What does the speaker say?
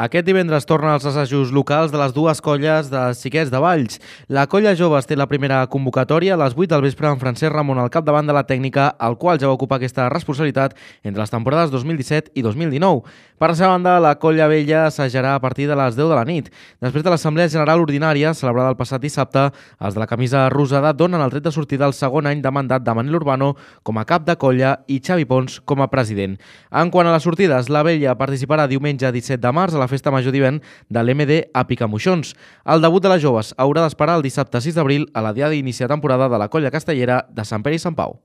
Aquest divendres tornen els assajos locals de les dues colles de xiquets de Valls. La colla Joves té la primera convocatòria a les 8 del vespre amb Francesc Ramon al capdavant de la tècnica, el qual ja va ocupar aquesta responsabilitat entre les temporades 2017 i 2019. Per la seva banda, la colla vella assajarà a partir de les 10 de la nit. Després de l'Assemblea General Ordinària, celebrada el passat dissabte, els de la camisa rosada donen el tret de sortida al segon any de mandat de Manel Urbano com a cap de colla i Xavi Pons com a president. En quant a les sortides, la vella participarà diumenge 17 de març a la Festa Major d'hivern de l'MD a Picamoixons. El debut de les joves haurà d'esperar el dissabte 6 d'abril a la diada d'inici de temporada de la colla castellera de Sant Pere i Sant Pau.